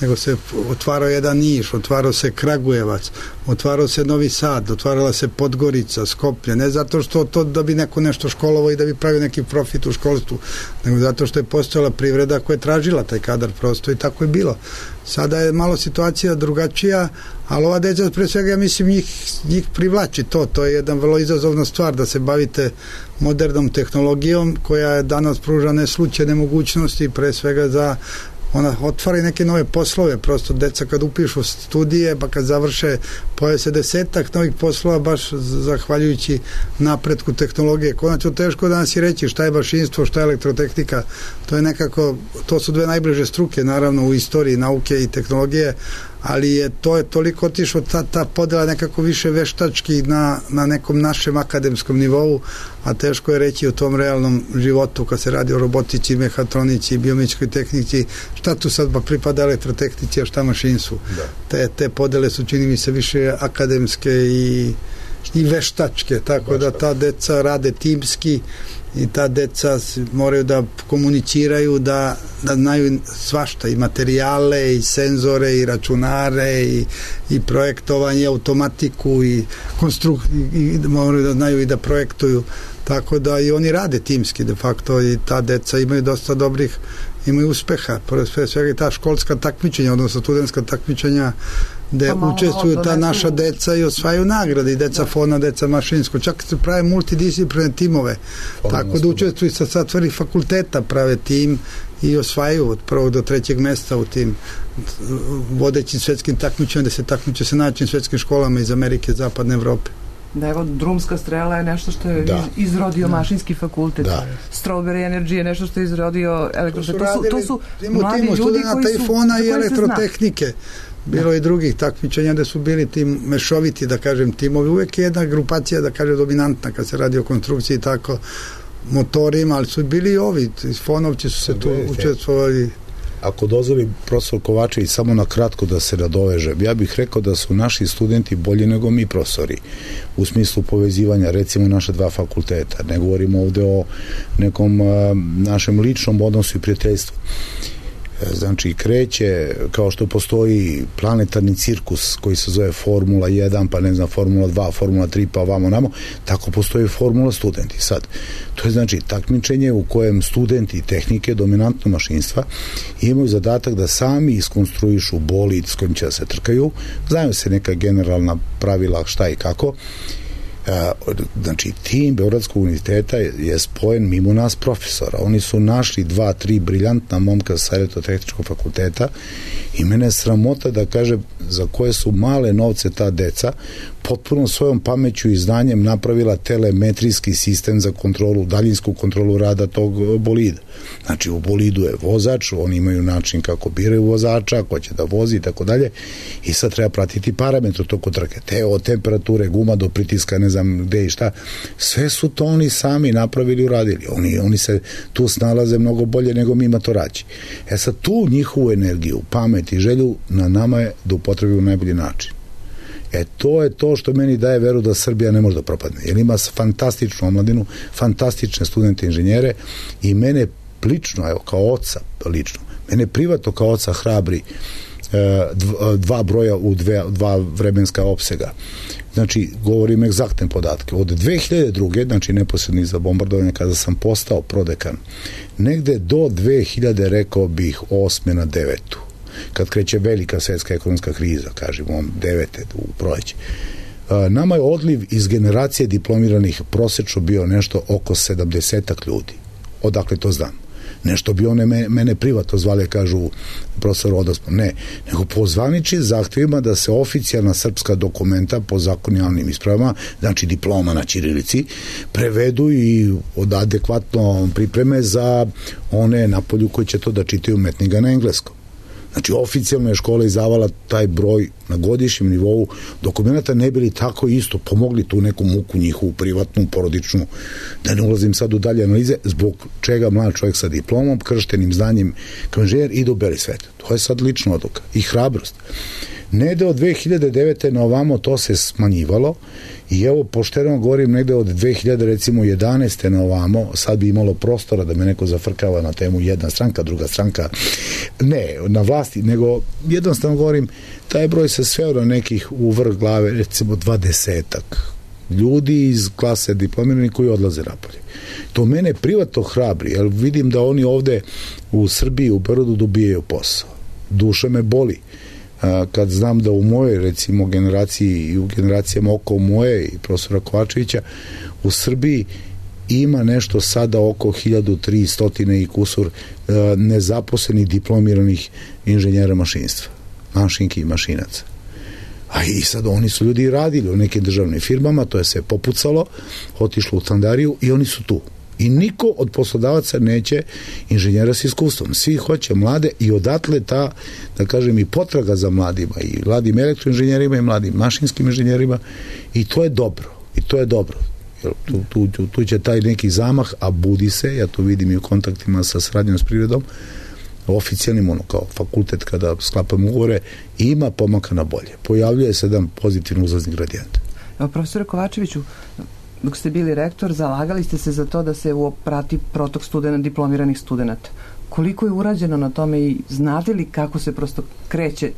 nego se otvarao jedan Niš, otvarao se Kragujevac, otvarao se Novi Sad, otvarala se Podgorica, Skoplje, ne zato što to da bi neko nešto školovao i da bi pravio neki profit u školstvu, nego zato što je postojala privreda koja je tražila taj kadar prosto i tako je bilo. Sada je malo situacija drugačija, ali ova deca, pre svega, ja mislim, njih privlači to je jedna vrlo izazovna stvar da se bavite modernom tehnologijom koja danas pruža neslučajne mogućnosti, pre svega za ona otvara i neke nove poslove, prosto deca kad upišu studije, pa kad završe pojave se 10 novih poslova baš zahvaljujući napretku tehnologije. Konačno teško danas i reći šta je mašinstvo, šta je elektrotehnika, to je nekako, to su dve najbliže struke naravno u istoriji nauke i tehnologije, ali je toliko otišlo ta podela nekako više veštački na nekom našem akademskom nivou, a teško je reći u tom realnom životu kad se radi o robotici, mehatronici, biomedičkoj tehnici, šta tu sad pripada elektrotehnici, a šta mašinstvu. Te podele su, čini mi se, više akademske i veštačke, tako da ta deca rade timski i ta deca moraju da komuniciraju, da znaju svašta, i materijale, i senzore, i računare, i projektovanje, automatiku, i moraju da znaju i da projektuju, tako da i oni rade timski de facto i ta deca imaju dosta imaju uspeha, pre svega i ta školska takmičenja, odnosno studentska takmičenja gde učestvuju ta naša deca i osvajaju nagrade, i deca fona, deca mašinsko, čak se prave multidisciplinarne timove, tako da učestvuju sa satvorih fakulteta, prave tim i osvajaju od 1. do 3. mesta u tim vodećim svetskim takmičenjima, gde se takmiče sa najjačim svetskim školama iz Amerike, Zapadne Evrope. Da, evo, drumska strela je nešto što je izrodio mašinski fakultet. Strawberry Energy je nešto što je izrodio elektrotehnika. To su mladi ljudi koji su fona i elektrotehnike. Bilo i drugih takmičenja gde su bili tim mešoviti, da kažem, timovi. Uvek je jedna grupacija, da kažem, dominantna kad se radi o konstrukciji i tako motorima, ali su bili i ovi. Fonovci su se tu učestvovali. Ako dozvoli profesor Kovačević samo na kratko da se nadovežem, ja bih rekao da su naši studenti bolji nego mi profesori u smislu povezivanja recimo naša dva fakulteta. Ne govorimo ovde o nekom našem ličnom odnosu i prijateljstvu. Znači kreće, kao što postoji planetarni cirkus koji se zove Formula 1, pa ne znam, Formula 2, Formula 3, pa ovamo namo, tako postoji Formula studenti. Sad, to je znači takmičenje u kojem studenti tehnike, dominantno mašinstva, imaju zadatak da sami iskonstruišu bolid s kojim će da se trkaju, znaju se neka generalna pravila šta i kako. Znači, tim Beogradskog univerziteta je spojen mimo nas profesora. Oni su našli 2-3 briljantna momka sa elektrotehničkog fakulteta i mene je sramota da kažem za koje su male novce ta deca potpuno svojom pameću i znanjem napravila telemetrijski sistem za kontrolu, daljinsku kontrolu rada tog bolida. Znači, u bolidu je vozač, oni imaju način kako biraju vozača, ko će da vozi i tako dalje, i sad treba pratiti parametre toko trke. Od temperature, guma do pritiska, ne znam gde i šta. Sve su to oni sami napravili i uradili. Oni se tu snalaze mnogo bolje nego mi matoraći. Sad, tu njihovu energiju, pamet i želju na nama je da upotrebimo najbolji način. To je to što meni daje veru da Srbija ne može da propadne. Jer ima fantastičnu omladinu, fantastične studente inženjere i mene lično, evo, kao oca lično, mene privatno kao oca hrabri dva broja u dva vremenska opsega. Znači, govorim egzaktne podatke. Od 2002. znači neposredno iza bombardovanja, kada sam postao prodekan, negde do 2000, rekao bih, 8. na 9. kad kreće velika svetska ekonomska kriza, kažemo 9. u proleće. Nama je odliv iz generacije diplomiranih prosečno bio nešto oko 70 ljudi. odakle to znam. Nešto bi one mene privatno zvale, kažu profesor Odospon. Ne, nego po zvaničnim zahtjevima da se oficijalna srpska dokumenta po zakonjalnim ispravama, znači diploma na ćirilici, prevedu i od adekvatno pripreme za one napolju koji će to da čitaju umetnika na engleskom. Znači, oficijalna je škola izdavala taj broj na godišnjem nivou dokumenta, ne bili tako isto pomogli tu neku muku njihovu privatnu, porodičnu, da ne ulazim sad u dalje analize, zbog čega mlad čovjek sa diplomom, krštenim znanjem kao inženjer ide u beli svet. To je sad lična odluka i hrabrost. Negde od 2009. na ovamo to se smanjivalo i evo, pošteno govorim, negde od 2011. na ovamo, sad bi imalo prostora da me neko zafrkava na temu jedna stranka, druga stranka, ne na vlasti, nego jednostavno govorim, taj broj se sveo na nekih u vrh glave, recimo 20-ak ljudi iz klase diplomirani koji odlaze napolje. To mene privatno hrabri, jer vidim da oni ovde u Srbiji, u Beogradu dobijaju posao. Duša me boli kad znam da u mojoj, recimo, generaciji i u generacijama oko moje i profesora Kovačevića, u Srbiji ima nešto sada oko 1300 i kusur nezaposlenih diplomiranih inženjera mašinstva, mašinki i mašinaca. A i sad oni su ljudi radili u nekim državnim firmama, to je sve popucalo, otišlo u standariju i oni su tu. I niko od poslodavaca neće inženjera s iskustvom. Svi hoće mlade i odatle ta, da kažem, i potraga za mladima, i mladim elektroinženjerima i mladim mašinskim inženjerima, i to je dobro. I to je dobro. Tu će taj neki zamah, a budi se, ja to vidim i u kontaktima sa saradnjom s privredom, oficijalnim, kao fakultet kada sklapamo ugovore, ima pomaka na bolje. Pojavljuje se jedan pozitivno uzlazni gradijent. Profesore Kovačeviću, dok ste bili rektor, zalagali ste se za to da se prati protok diplomiranih studenta. Koliko je urađeno na tome i znate li kako se prosto kreće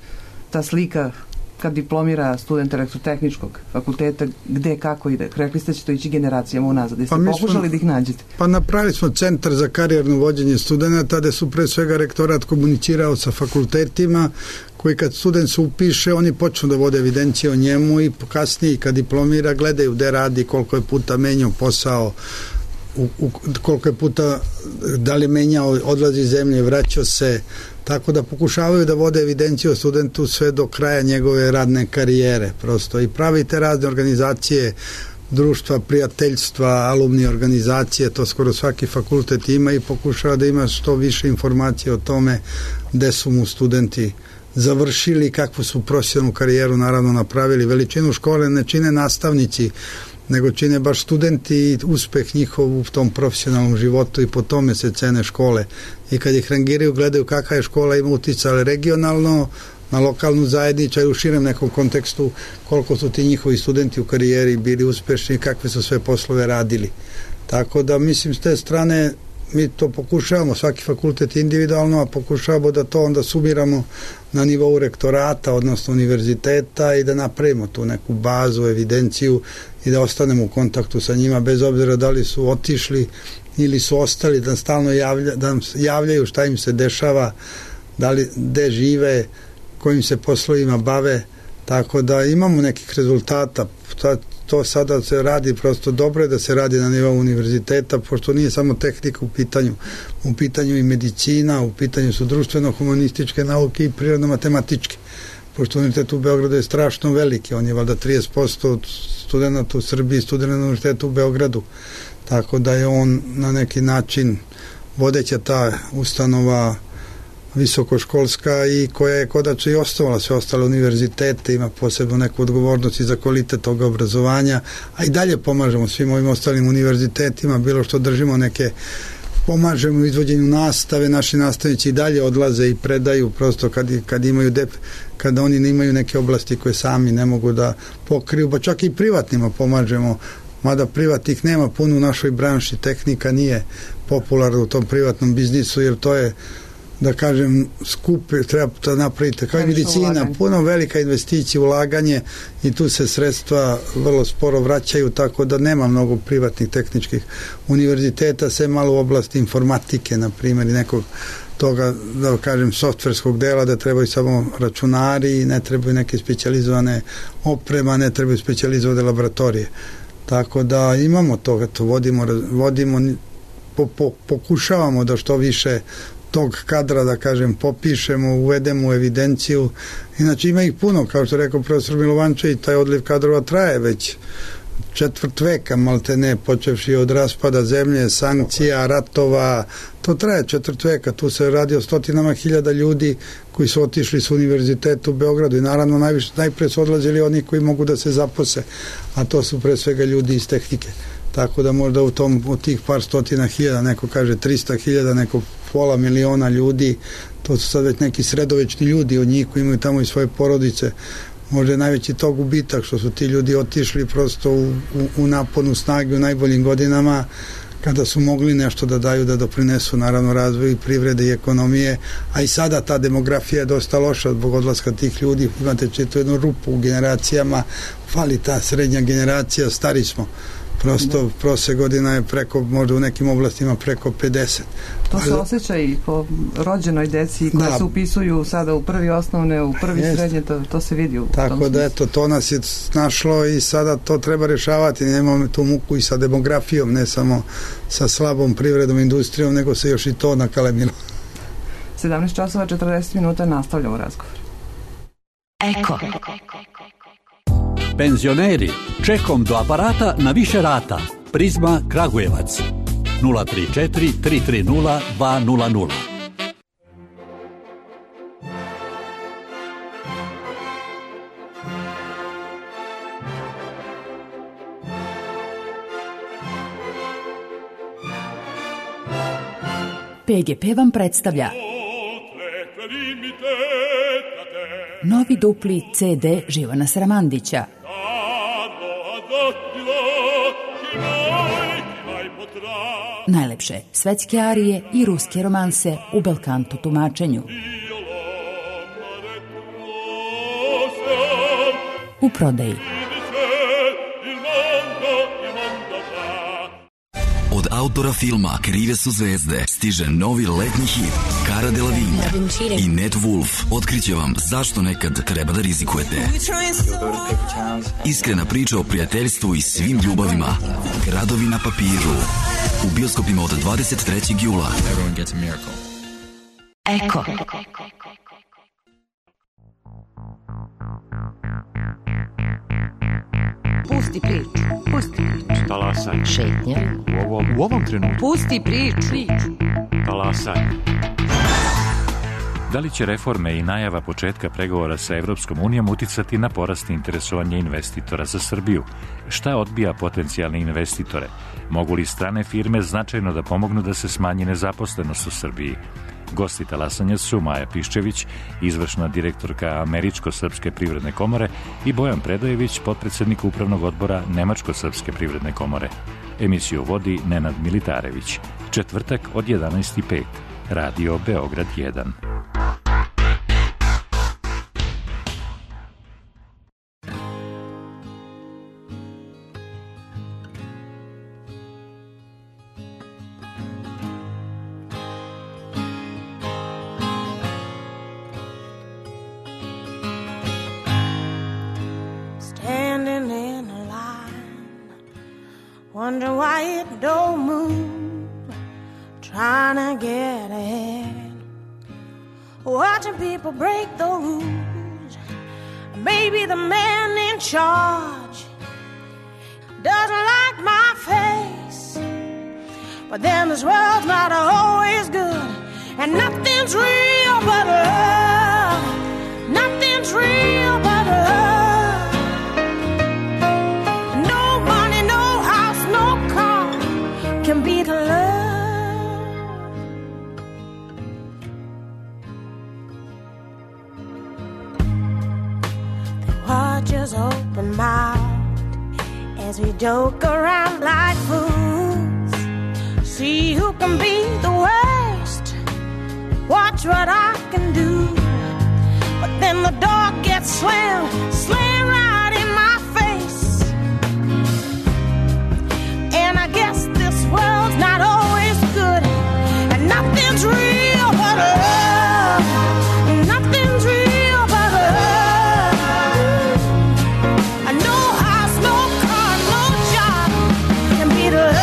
ta slika kad diplomira student elektrotehničkog fakulteta, gde, kako ide? Rekli ste će to ići generacijama unazad. Jeste pokušali da ih nađete? Pa napravili smo centar za karijerno vođenje studenta, gde su pre svega rektorat komunicirao sa fakultetima, koji kad student se upiše, oni počnu da vode evidencije o njemu i kasnije kad diplomira gledaju gde radi, koliko je puta menjao posao, koliko je puta, da li menjao, odlazi iz zemlje, vraćao se, tako da pokušavaju da vode evidenciju o studentu sve do kraja njegove radne karijere prosto i pravite razne organizacije, društva, prijateljstva, alumni organizacije, to skoro svaki fakultet ima i pokušava da ima što više informacije o tome gde su mu studenti završili, kakvu su profesionalnu karijeru naravno napravili. Veličinu škole ne čine nastavnici, nego čine baš studenti i uspeh njihov u tom profesionalnom životu i po tome se cene škole. I kad ih rangiraju, gledaju kakva je škola, ima uticaj regionalno, na lokalnu zajednicu i u širem nekom kontekstu koliko su ti njihovi studenti u karijeri bili uspešni i kakve su sve poslove radili. Tako da mislim s te strane mi to pokušavamo, svaki fakultet individualno, a pokušavamo da to onda sumiramo na nivou rektorata, odnosno univerziteta i da napravimo tu neku bazu, evidenciju i da ostanemo u kontaktu sa njima bez obzira da li su otišli ili su ostali, da stalno javljaju šta im se dešava, da li gde žive, kojim se poslovima bave, tako da imamo nekih rezultata. To sada se radi prosto dobro je da se radi na nivou univerziteta, pošto nije samo tehnika u pitanju i medicina, u pitanju su društveno-humanističke nauke i prirodno-matematičke. Pošto univerzitet u Beogradu je strašno veliki, on je valjda 30% od studenta u Srbiji, studenta na univerzitetu u Beogradu, tako da je on na neki način vodeća ta ustanova visokoškolska i koja je kodačno i osnovala sve ostale univerzitete, ima posebno neku odgovornost i za kvalitet toga obrazovanja, a i dalje pomažemo svim ovim ostalim univerzitetima, bilo što držimo pomažemo u izvođenju nastave, naši nastavnici i dalje odlaze i predaju prosto kada oni imaju neke oblasti koje sami ne mogu da pokriju, pa čak i privatnima pomažemo, mada privatnih nema puno u našoj branši, tehnika nije popularna u tom privatnom biznisu, jer to je, da kažem, skupe, treba to napraviti, kao i medicina, puno velika investicija, ulaganje i tu se sredstva vrlo sporo vraćaju, tako da nema mnogo privatnih tehničkih univerziteta, sve malo u oblasti informatike, na primjer, i nekog toga, da kažem, softverskog dela, da trebaju samo računari, ne trebaju neke specijalizovane oprema, ne trebaju specijalizovane laboratorije. Tako da imamo toga, to vodimo pokušavamo da što više tog kadra, da kažem, popišemo, uvedemo u evidenciju. Inače ima ih puno, kao što rekao profesor Milovančević, taj odliv kadrova traje već četvrt veka, malte ne, počevši od raspada zemlje, sankcija, ratova, to traje četvrt veka, tu se radi o stotinama hiljada ljudi koji su otišli s univerziteta u Beogradu i naravno najpre su odlazili oni koji mogu da se zapose, a to su pre svega ljudi iz tehnike. Tako da možda od tih par stotina hiljada, neko kaže 300.000, neko pola miliona ljudi, to su sad već neki sredovečni ljudi od njih koji imaju tamo i svoje porodice. Možda je najveći tog gubitak što su ti ljudi otišli prosto u naponu snage u najboljim godinama, kada su mogli nešto da daju, da doprinesu naravno razvoju privrede i ekonomije, a i sada ta demografija je dosta loša zbog odlaska tih ljudi. Imate četu jednu rupu u generacijama, fali ta srednja generacija, stari smo. Prosto prosek godina je preko, možda u nekim oblastima preko 50. To se osjeća i po rođenoj deci koja se upisuju sada u prvi osnovne, u prvi srednje, to se vidi u tom smislu. Tako da eto, to nas je našlo i sada to treba rešavati. Nemamo tu muku i sa demografijom, ne samo sa slabom privredom, industrijom, nego se još i to nakalemilo. 17 časova 40 minuta nastavljamo razgovor. Eko. Penzioneri, čekom do aparata na više rata. Prizma Kragujevac 034 330 200. PGP vam predstavlja novi dupli CD Živana Sramandića. Najlepše svetske arije i ruske romanse u belkanto tumačenju. U prodaji. Od autora filma Krive su zvezde stiže novi letnji hit Cara Delevingne i Ned Wolf otkriće vam zašto nekad treba da rizikujete. Iskrena priča o prijateljstvu i svim ljubavima. Gradovi na papiru. U bioskopima od 23. jula. Eko. Pusti priču. Pusti priču. Talasaj. Šetnja. U ovom trenutku. Pusti priču. Talasaj. Da li će reforme i najava početka pregovora sa Evropskom unijom uticati na porast interesovanja investitora za Srbiju? Šta odbija potencijalne investitore? Mogu li strane firme značajno da pomognu da se smanji nezaposlenost u Srbiji? Gosti talasanja su Maja Piščević, izvršna direktorka Američko-srpske privredne komore, i Bojan Predojević, potpredsednik upravnog odbora Nemačko-srpske privredne komore. Emisiju vodi Nenad Militarević. Četvrtak od 11:05. Radio Beograd 1. Wonder why it don't move, trying to get ahead, watching people break the rules. Maybe the man in charge doesn't like my face, but then this world's not always good, and nothing's real but love. Nothing's real but love. Can beat love. They watch us open mouthed as we joke around like fools. See who can be the worst. Watch what I can do. But then the door gets slammed right in my face. And I guess this world's not always good, and nothing's real but love. Nothing's real but love. No house, no car, no job can beat love.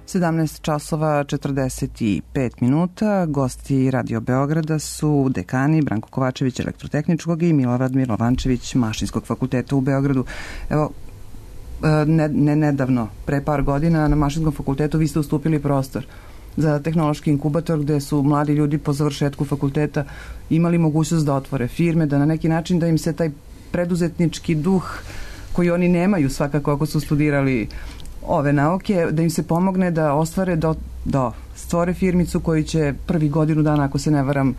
17 časova 45 minuta. Gosti Radio Beograda su dekani Branko Kovačević elektrotehničkog i Milorad Milovančević Mašinskog fakulteta u Beogradu. Evo, nedavno, pre par godina na Mašinskom fakultetu vi ste ustupili prostor za tehnološki inkubator gde su mladi ljudi po završetku fakulteta imali mogućnost da otvore firme, da na neki način da im se taj preduzetnički duh koji oni nemaju svakako ako su studirali ove nauke, da im se pomogne da ostvare, da stvore firmicu koji će prvi godinu dana, ako se ne varam,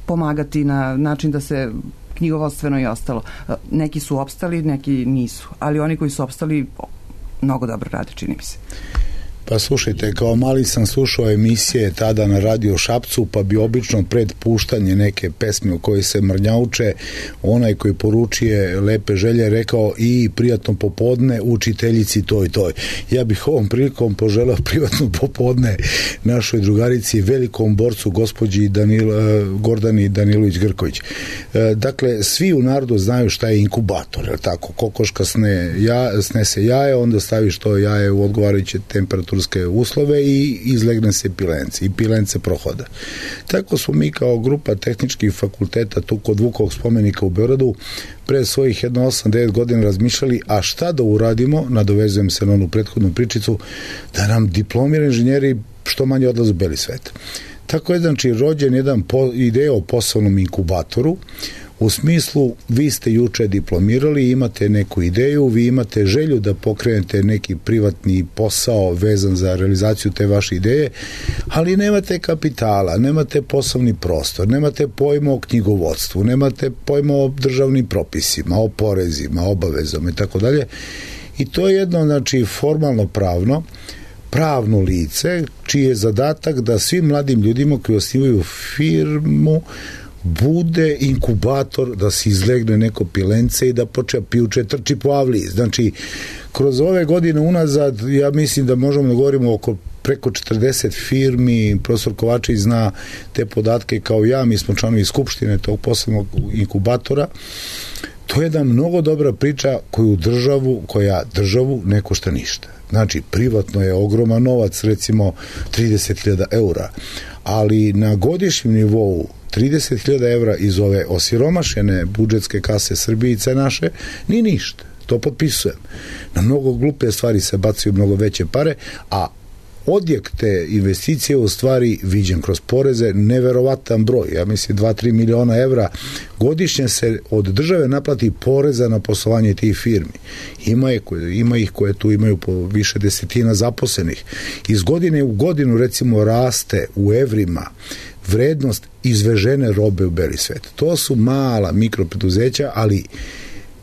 pomagati na način da se knjigovodstveno i ostalo. Neki su opstali, neki nisu, ali oni koji su opstali mnogo dobro rade, čini mi se. Pa slušajte, kao mali sam slušao emisije tada na Radio Šapcu, pa bi obično pred puštanje neke pesme u kojoj se mrnjauče, onaj koji poručuje lepe želje rekao i prijatno popodne učiteljici toj. Ja bih ovom prilikom poželao privatno popodne našoj drugarici, velikom borcu gospođi Gordani Danilović-Grković. Dakle, svi u narodu znaju šta je inkubator, je tako? Kokoška snese jaje, onda staviš to jaje u odgovarajuće temperaturske uslove i izlegne se pilence i pilence prohoda. Tako smo mi kao grupa tehničkih fakulteta tu kod Vukovog spomenika u Beogradu pre svojih 8-9 godina razmišljali, a šta da uradimo, nadovezujem se na onu prethodnu pričicu, da nam diplomirani inženjeri što manje odlaze u beli svet. Tako je znači rođen jedan ideja o poslovnom inkubatoru, u smislu, vi ste juče diplomirali, imate neku ideju, vi imate želju da pokrenete neki privatni posao vezan za realizaciju te vaše ideje, ali nemate kapitala, nemate poslovni prostor, nemate pojma o knjigovodstvu, nemate pojma o državnim propisima, o porezima, obavezama i tako dalje. I to je jedno, znači, formalno pravno lice, čiji je zadatak da svim mladim ljudima koji osnivaju firmu bude inkubator, da se izlegne neko pilence i da počne pijuče trči po avliji. Znači, kroz ove godine unazad, ja mislim da možemo da govorimo oko preko 40 firmi, profesor Kovačević zna te podatke kao ja, mi smo članovi skupštine tog posebnog inkubatora. To je jedna mnogo dobra priča koja državu ne košta ništa. Znači, privatno je ogroman novac, recimo 30.000 eura, ali na godišnjem nivou 30.000 evra iz ove osiromašene budžetske kase Srbijice naše, ni ništa. To potpisujem. Na mnogo glupe stvari se bacaju mnogo veće pare, a odjek te investicije u stvari viđen kroz poreze neverovatan broj. Ja mislim 2-3 miliona evra godišnje se od države naplati poreza na poslovanje tih firmi. Ima ih koje tu imaju po više desetina zaposlenih. Iz godine u godinu recimo raste u evrima vrednost izvežene robe u beli svet. To su mala mikropreduzeća, ali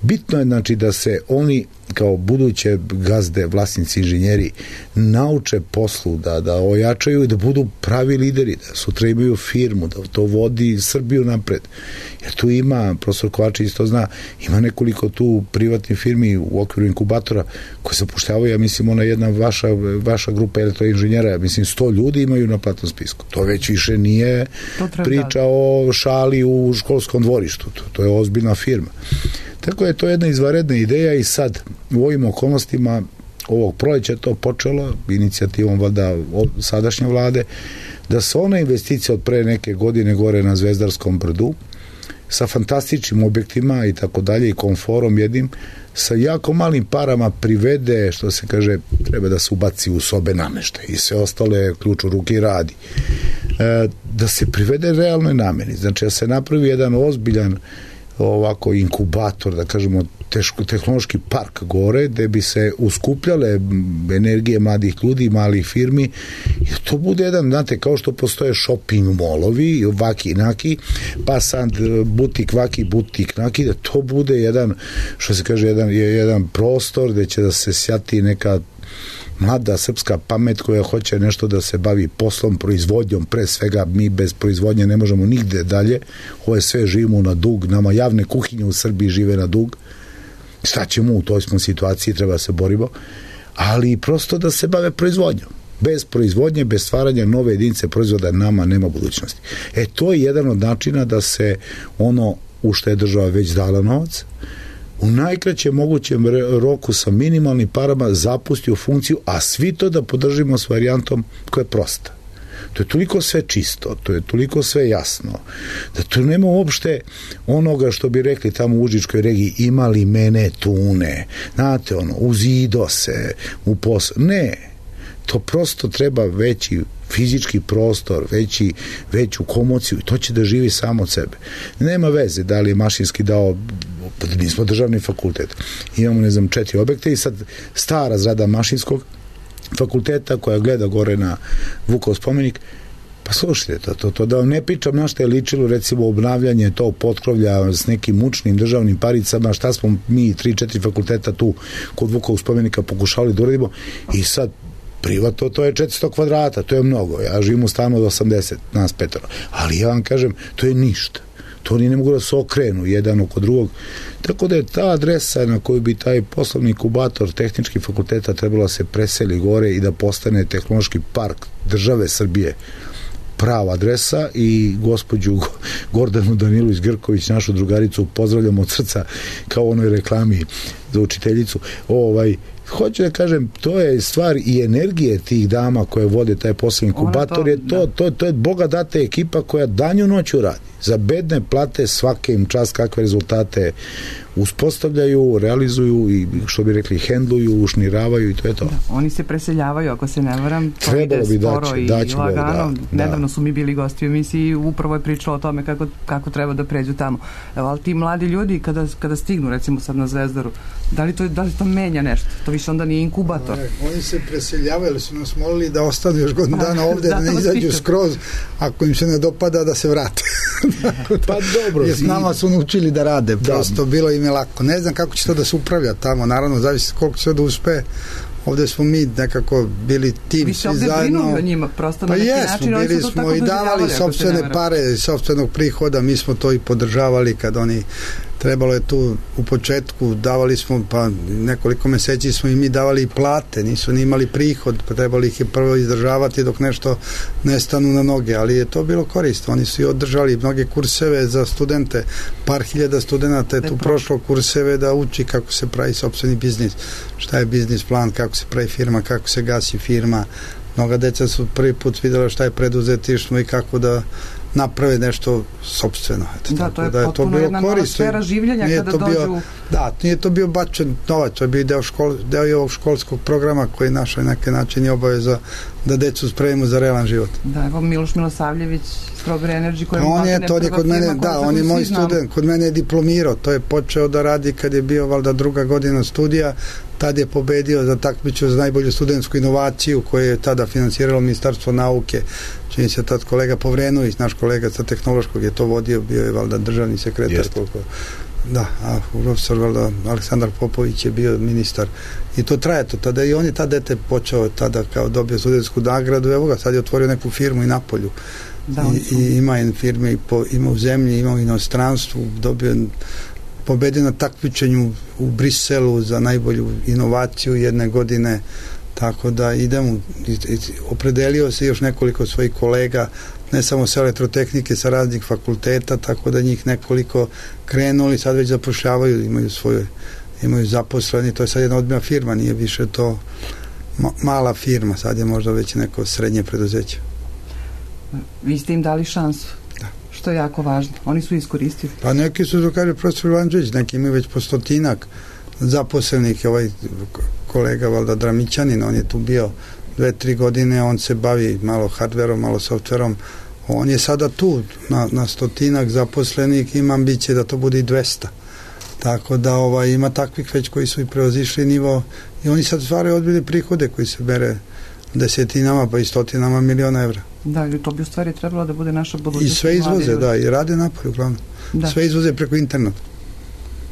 bitno je znači da se oni kao buduće gazde, vlasnici, inženjeri nauče poslu, da ojačaju i da budu pravi lideri, da sutra imaju firmu, da to vodi Srbiju napred. Jer tu ima, profesor Kovačević to zna, ima nekoliko tu privatnih firmi u okviru inkubatora koje se upošljavaju, ja mislim ona jedna vaša grupa elektroinženjera, ja mislim 100 ljudi imaju na platnom spisku. To već više nije priča o šali u školskom dvorištu. To je ozbiljna firma. Tako je to jedna izvanredna ideja i sad u ovim okolnostima ovog proleća to počelo inicijativom valjda sadašnje vlade da se ona investicija od pre neke godine gore na Zvezdarskom brdu sa fantastičnim objektima i tako dalje i komforom jednim sa jako malim parama privede, što se kaže, treba da se ubaci u sobe nameštaj i sve ostale ključ u ruki radi. Da se privede realnoj nameni, znači da se napravi jedan ozbiljan ovako inkubator, da kažemo tehnološki park gore, gde bi se uskupljale energije mladih ljudi, malih firmi, i to bude jedan, znate, kao što postoje shopping molovi, vaki naki, pa sad butik vaki, butik naki, da to bude jedan, što se kaže, jedan prostor gde će da se sjati neka mlada srpska pamet koja hoće nešto da se bavi poslom, proizvodnjom, pre svega mi bez proizvodnje ne možemo nigde dalje, ovo je sve živimo na dug, nama javne kuhinje u Srbiji žive na dug, šta ćemo, u toj smo situaciji, treba da se borimo, ali prosto da se bave proizvodnjom. Bez proizvodnje, bez stvaranja nove jedinice proizvoda nama nema budućnosti. To je jedan od načina da se ono u što je država već dala novac, u najkraćem mogućem roku sa minimalnim parama zapusti u funkciju, a svi to da podržimo s varijantom koja je prosta. To je toliko sve čisto, to je toliko sve jasno, da tu nema uopšte onoga što bi rekli tamo u Užičkoj regiji, imali mene tune, znate ono, uzido se u posao. Ne, to prosto treba veći fizički prostor, veću komociju i to će da živi samo od sebe. Nema veze da li je Mašinski dao, mi smo državni fakultet, imamo 4 objekte i sad stara zgrada Mašinskog fakulteta koja gleda gore na Vukov spomenik, pa slušajte to da vam ne pričam na šta je ličilo recimo obnavljanje tog potkrovlja s nekim mučnim državnim paricama, šta smo mi 3-4 fakulteta tu kod Vukovog spomenika pokušali da uradimo i sad privatno to je 400 kvadrata, to je mnogo, ja živim u stanu od 80, nas 5, ali ja vam kažem, to je ništa. To oni ne mogu da se okrenu jedan oko drugog. Tako da je ta adresa na koju bi taj poslovni inkubator tehničkih fakulteta trebalo se preseli gore i da postane tehnološki park države Srbije prava adresa i gospođu Gordanu Danilović Grković, našu drugaricu, pozdravljam od srca kao u onoj reklami za učiteljicu. Hoću da kažem, to je stvar i energije tih dama koje vode taj poslovni inkubator, to je Boga data ekipa koja danju noću radi. Za bedne plate svake im čast kakve rezultate uspostavljaju, realizuju i što bi rekli hendluju, ušniravaju i to je to. Da, oni se preseljavaju, ako se ne varam, to ide sporo i lagano. Nedavno su mi bili gosti u emisiji, upravo je pričala o tome kako treba da pređu tamo. Evo, ali ti mladi ljudi kada stignu recimo sad na Zvezdaru, da li to menja nešto? To više onda nije inkubator. Oni se preseljavaju, su nas molili da ostanu još godinu dana ovde, da ne izađu skroz, ako im se ne dopada da se vrate. Pa dobro. Jer s nama su naučili da rade, prosto bilo im je lako. Ne znam kako će to da se upravlja tamo, naravno zavisi koliko će da uspe. Ovde smo mi nekako bili tim svi zajedno. Vi se ovde brinuli o njima, prosto na neki način. Pa bili smo i davali sopstvene pare, sopstvenog prihoda, mi smo to i podržavali kad oni trebalo je tu u početku, davali smo, pa nekoliko meseci smo i mi davali i plate, nisu ni imali prihod, pa trebali ih je prvo izdržavati dok nešto ne stanu na noge, ali je to bilo korisno, oni su i održali mnoge kurseve za studente, par hiljada studenta je tu prošlo kurseve da uči kako se pravi sopstveni biznis, šta je biznis plan, kako se pravi firma, kako se gasi firma, mnoga deca su prvi put vidjela šta je preduzetištvo i kako da naprave nešto sopstveno. Da, to je potpuno jedna nova sfera življenja kada dođu... Da, nije to bio bačen novac, to je bio deo ovog školskog programa koji naš na neki način je obaveza da decu spremimo za realan život. Da, evo Miloš Milosavljević, Strawberry Energy, koji je kod mene, da, on je moj student, kod mene je diplomirao, to je počeo da radi kad je bio valjda 2. godina studija, tad je pobedio za takmičenje za najbolju studentsku inovaciju koju je tada finansiralo Ministarstvo nauke. Čini se tad kolega Povrenović, naš kolega sa tehnološkog je to vodio, bio je valjda državni sekretar. Da, a profesor valjda Aleksandar Popović je bio ministar. I to traje to tada i on je tada dete počeo tada kao dobio studentsku nagradu, evo ga, sad je otvorio neku firmu i Napolju. I ima firme, ima u zemlji, ima u inostranstvu, dobio pobedio na takmičenju u Briselu za najbolju inovaciju jedne godine, tako da idemo, opredelio se još nekoliko svojih kolega, ne samo sa elektrotehnike, sa raznih fakulteta, tako da njih nekoliko krenuli, sad već zapošljavaju, imaju zaposleni, to je sad jedna odmjena firma, nije više to mala firma, sad je možda već neko srednje preduzeće. Vi ste im dali šansu? Što je jako važno. Oni su iskoristili. Pa neki su, to kaže profesor Ivanđević, neki imaju već po 100 zaposlenih, ovaj kolega valjda Dramićanin, on je tu bio 2-3 godine, on se bavi malo hardverom, malo softverom, on je sada tu na 100 zaposlenih, ima ambicije da to bude i 200. Tako da ima takvih već koji su i preozišli nivo i oni sad stvaraju odbili prihode koji se bere desetinama pa i 100 miliona evra. Da, to bi u stvari trebalo da bude naša budućnost. I sve izvoze, da, i rade napolju uglavnom. Da. Sve izvoze preko interneta.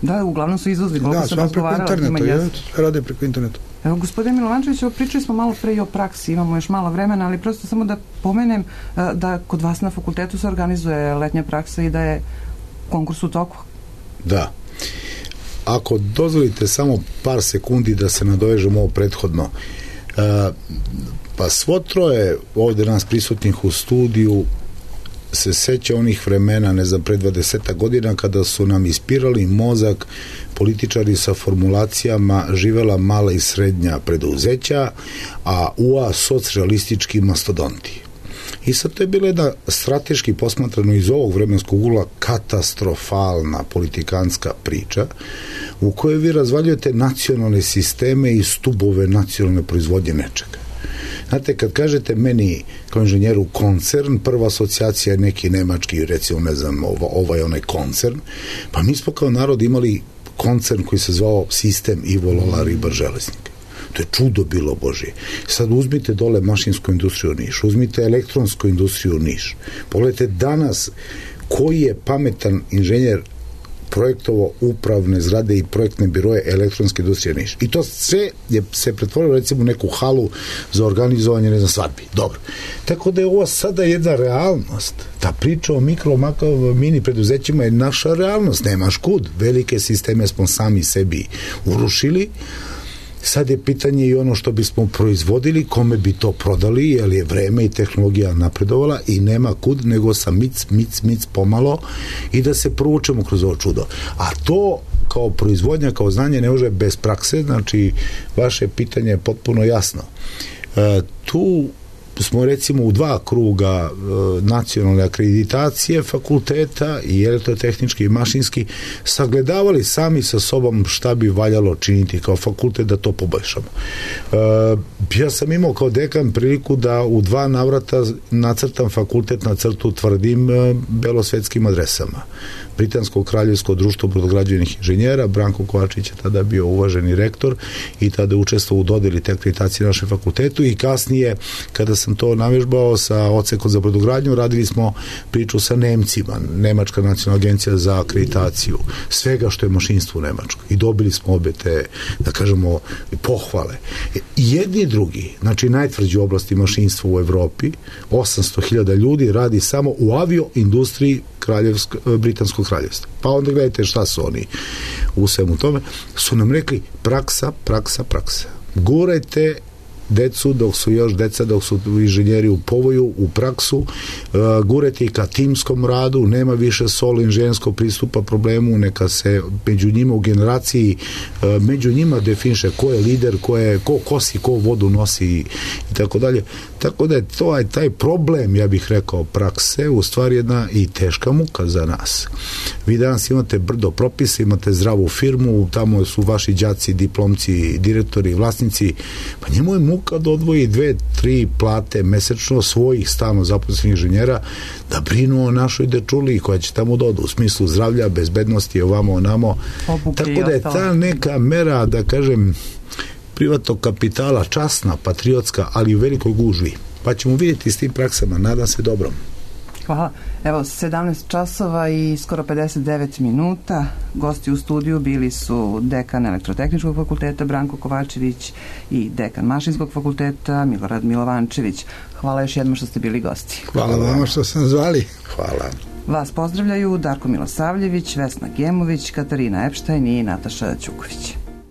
Da, uglavnom su izvozili. Da, sve preko interneta, sve rade preko interneta. Evo, gospodin Milovančević, pričali smo malo pre i o praksi, imamo još malo vremena, ali prosto samo da pomenem da kod vas na fakultetu se organizuje letnja praksa i da je konkurs u toku. Da. Ako dozvolite samo par sekundi da se nadovežemo ovo prethodno, pa svo troje ovde nas prisutnih u studiju se seća onih vremena, ne znam, pre 20 godina kada su nam ispirali mozak političari sa formulacijama živela mala i srednja preduzeća, a UA socrealistički mastodonti. I sad to je bila jedna strateški posmatrano iz ovog vremenskog ugla katastrofalna politikanska priča u kojoj vi razvaljujete nacionalne sisteme i stubove nacionalne proizvodnje nečega. Znate, kad kažete meni kao inženjeru koncern, prva asocijacija je neki nemački, recimo, ne znam, onaj koncern, pa mi smo kao narod imali koncern koji se zvao Sistem Ivo Lola Ribar Železnika. To je čudo bilo Božje. Sad uzmite dole mašinsku industriju Niš, uzmite elektronsku industriju Niš. Pogledajte danas koji je pametan inženjer projektovo upravne zgrade i projektne biroje elektronske industrije Niš. I to sve je se pretvorilo recimo u neku halu za organizovanje, ne znam, svadbi. Dobro. Tako da je ovo sada jedna realnost. Ta priča o mini preduzećima je naša realnost. Nemaš kud. Velike sisteme smo sami sebi urušili. Sad je pitanje i ono što bismo proizvodili, kome bi to prodali, jer je vreme i tehnologija napredovala i nema kud nego sa mic pomalo i da se provučemo kroz ovo čudo. A to kao proizvodnja, kao znanje ne može bez prakse, znači vaše pitanje je potpuno jasno. Tu smo recimo u 2 kruga nacionalne akreditacije fakulteta i elektrotehnički i mašinski sagledavali sami sa sobom šta bi valjalo činiti kao fakultet da to poboljšamo. Ja sam imao kao dekan priliku da u 2 navrata nacrtam fakultet na crtu tvrdim belosvetskim adresama. Britansko kraljevsko društvo brodograđevnih inženjera, Branko Kovačić je tada bio uvaženi rektor i tada je učestvovao u dodeli te akreditacije našem fakultetu i kasnije kada sam to navežbao sa odsekom za brodogradnju, radili smo priču sa Nemcima, Nemačka nacionalna agencija za akreditaciju, svega što je mašinstvo u Nemačkoj i dobili smo obe te, da kažemo, pohvale. Jedni i drugi, znači najtvrđi oblasti mašinstva u Evropi, 800.000 ljudi radi samo u avioindustriji Britanskog kraljevstva. Pa onda gledajte šta su oni u svemu tome. Su nam rekli praksa. Gurajte decu dok su još deca, dok su inženjeri u povoju, u praksu, gurajte i ka timskom radu, nema više solo inženjerskog pristupa problemu, neka se među njima u generaciji među njima definiše ko je lider, ko kosi, ko vodu nosi i tako dalje. Tako da je to taj problem, ja bih rekao, prakse, u stvari jedna i teška muka za nas. Vi danas imate brdo propisa, imate zdravu firmu, tamo su vaši đaci, diplomci, direktori, vlasnici, pa njemu je muka da odvoji 2-3 plate mesečno svojih stalno zaposlenih inženjera da brinu o našoj dečuli koja će tamo da odu u smislu zdravlja, bezbednosti, ovamo, onamo. Tako da je ta neka mera, da kažem, privatnog kapitala, časna, patriotska, ali u velikoj gužvi. Pa ćemo vidjeti s tim praksama, nadam se dobrom. Hvala. Evo, 17 časova i skoro 59 minuta. Gosti u studiju bili su dekan Elektrotehničkog fakulteta Branko Kovačević i dekan Mašinskog fakulteta Milorad Milovančević. Hvala još jednom što ste bili gosti. Hvala vama što ste nas zvali. Hvala. Vas pozdravljaju Darko Milosavljević, Vesna Gemović, Katarina Epštajn i Nataša Ćuković.